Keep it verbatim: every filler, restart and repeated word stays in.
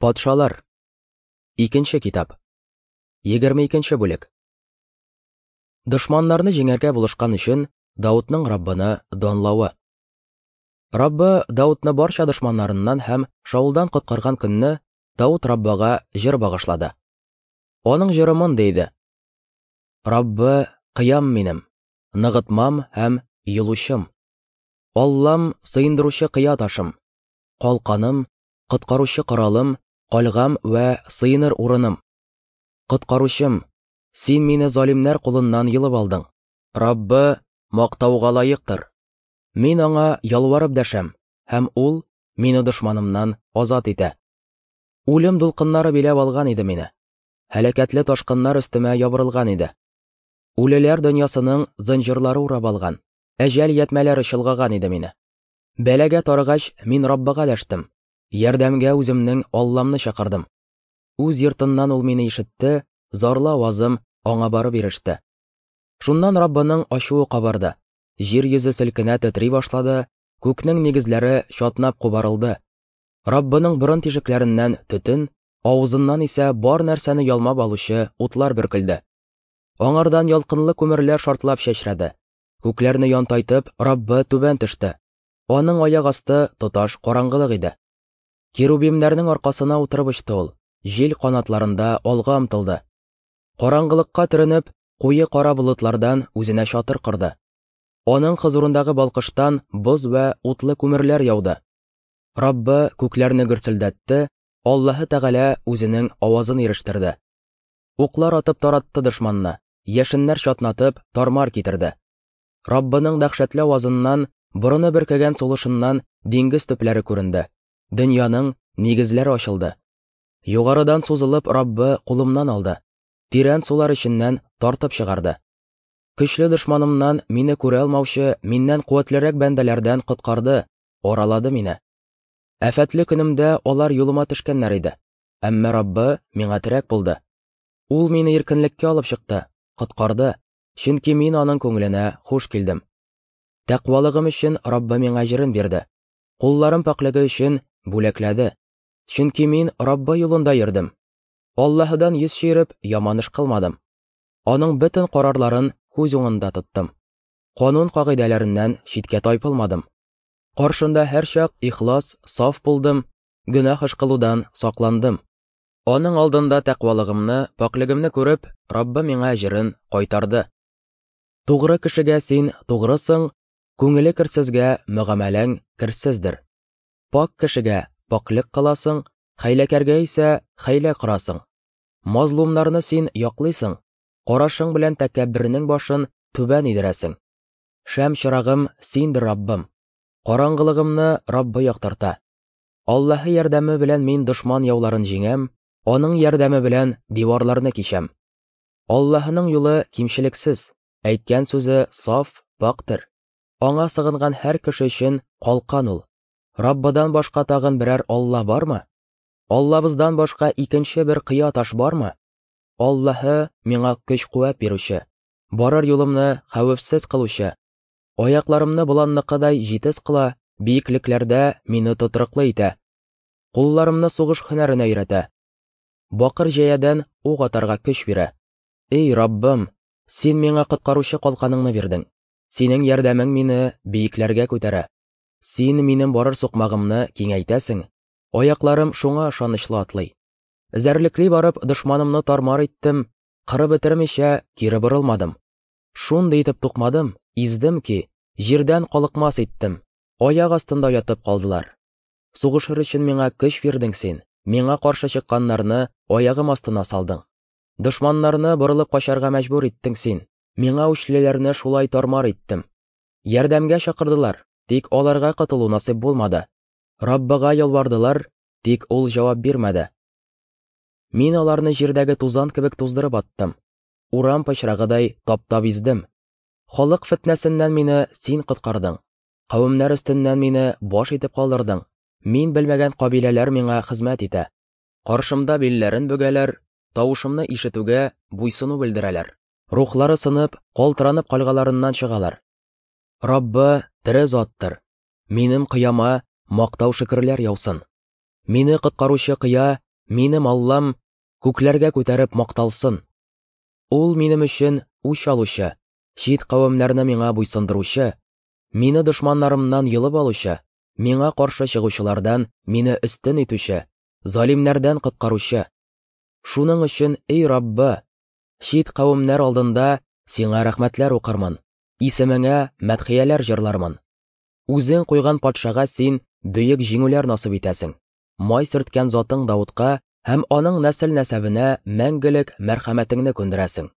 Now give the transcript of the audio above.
Патшалар. Икенче китап. Егерме икенче бүлек. Дошманнарны җиңәргә булышкан өчен Даутның Раббыны данлавы. Раббы Даутны барча дошманнарыннан һәм Шаулдан коткарган көнне Даут Раббыга җыр багышлады. Аның җыры мондый иде: Раббы кыям минем, ныгытмам һәм юлучым. Аллам сыендыручы кыя ташым, калканым, коткаручы коралым, кальгам вә сыеныр урыным. Коткаручым, син мине залимнәр кулыннан йолып алдың. Раббы мактауга лаектыр. Мин аңа ялварып дәшәм, һәм ул мине дошманымнан азат итә. Үлем дулкыннары биләп алган иде мине. Һәлакәтле ташкыннар өстемә ябырылган иде. Үлеләр дөньясының зынҗырлары урап алган, әҗәл ятмәләре чолгаган иде мине. Бәлагә тарыгач, мин Раббыга дәштем. Ярдәмгә үземнең Алламны чакырдым. Үз йортыннан ул мине ишетте, зарлы авазым аңа барып иреште. Шуннан Раббының ачуы кабарды. Җир йөзе селкенә тетри башлады, күкнең нигезләре чатнап кубарылды. Раббының борын тишекләреннән төтен, авызыннан исә бар нәрсәне ялмап алучы утлар бөркелде. Аңардан ялкынлы күмерләр шартлап чәчрәде. Күкләрне янтайтып, Раббы түбән төште. Аның аяк асты тоташ караңгылык иде. Керубимнәрнең аркасына утырып очты ул, җил канатларында алга омтылды. Караңгылыкка төренеп, куе кара болытлардан үзенә чатыр корды. Аның хозурындагы балкыштан боз вә утлы күмерләр яуды. Раббы күкләрне гөрселдәтте, Аллаһы Тәгалә үзенең авазын ирештерде. Уклар атып таратты дошманны, яшеннәр чатнатып тармар китерде. Раббының дәһшәтле авазыннан, борыны бөркегән сулышыннан диңгез төпләре күренде. Дөньяның нигезләре ачылды. Югарыдан сузылып Раббы кулымнан алды. Тирән сулар эченнән тартып чыгарды. Көчле дошманымнан мине күрә алмаучы, миннән куәтлерәк бәндәләрдән коткарды, аралады мине. Афәтле көнемдә алар юлыма төшкәннәр иде. Әмма Раббы миңа терәк булды. Ул мине иркенлеккә алып чыкты, коткарды, чөнки мин аның күңеленә хуш килдем. Тәкъвалыгым өчен Раббы миңа җырын бирде. Кулларым пакьлеге өчен бүләкләде. Чөнки мин Раббы юлында йөрдем. Аллаһыдан йөз чөереп яман эш кылмадым. Аның бөтен карарларын күз уңында тоттым. Канун кагыйдәләреннән читкә тайпылмадым. Каршында һәрчак ихлас, саф булдым, гөнаһ эш кылудан сакландым. Аның алдында тәкъвалыгымны, пакьлегемне күреп, Раббы миңа әҗерен кайтарды. Тугры кешегә син тугрысың, күңеле керсезгә мөгамәләң керсездер. Пак кешегә пакьлек кыласың, хәйләкәргә исә хәйлә корасың. Мазлумнарны син яклыйсың, карашың белән тәкәббернең башын түбән идерәсең. Шәм чырагым синдер, Раббым. Караңгылыгымны Раббы яктырта. Аллаһы ярдәме белән мин дошман яуларын җиңәм, аның ярдәме белән диварларны кичәм. Аллаһының юлы кимчелексез, әйткән сүзе саф, пактыр. Аңа сыгынган һәр кеше өчен калкан ул. Раббыдан башка тагын берәр Алла бармы? Аллабыздан башка икенче бер кыя таш бармы? Аллаһы миңа көч-куәт бирүче, барыр юлымны хәвефсез кылучы, аякларымны боланныкыдай җитез кыла, биеклекләрдә мине тотрыклы итә. Кулларымны сугыш һөнәренә өйрәтә. Бакыр җәядән ук атарга көч бирә. Эй, Раббым, син миңа коткаручы калканыңны бирдең. Синең ярдәмең мине биекләргә күтәрә. Син минем барыр сукмагымны киңәйтәсең. Аякларым шуңа ышанычлы атлый. Эзәрлекли барып дошманымны тармар иттем, кырып бетермичә кире борылмадым. Шундый итеп тукмадым, издем ки, җирдән калыкмас иттем. Аяк астында ятып калдылар. Сугышыр өчен миңа көч бирдең син. Миңа каршы чыкканнарны аягым астына салдың. Дошманнарны борылып качарга мәҗбүр иттең син. Миңа үчлеләрне шулай тармар иттем. Ярдәмгә чакырдылар, тик аларга котылу насыйп булмады. Раббыга ялвардылар, тик ул җавап бирмәде. Мин аларны җирдәге тузан кебек туздырып аттым. Урам пычрагыдай таптап издем. Халык фетнәсеннән мине син коткардың. Кавемнәр өстеннән мине баш итеп калдырдың. Мин белмәгән кабиләләр миңа хезмәт итә. Каршымда билләрен бөгәләр, тавышымны ишетүгә буйсыну белдерәләр. Рухлары сынып, калтыранып кальгаларыннан чыгалар. Раббы тере заттыр. Минем кыяма мактау шөкерләр яусын. Мине коткаручы кыя Минем Аллам күкләргә күтәреп макталсын. Ул минем өчен үч алучы, чит кавемнәрне миңа буйсындыручы, мине дошманнарымнан йолып алучы, миңа каршы чыгучылардан мине өстен итүче, залимнәрдән коткаручы. Шуның өчен, эй Раббы, чит кавемнәр алдында сиңа рәхмәтләр укырмын, исемеңә мәдхияләр җырлармын. Үзең куйган патшага син бөек җиңүләр насыйп итәсең. Май сөрткән затың Давытка һәм аның нәсел-нәсәбенә мәңгелек мәрхәмәтеңне күндерәсең.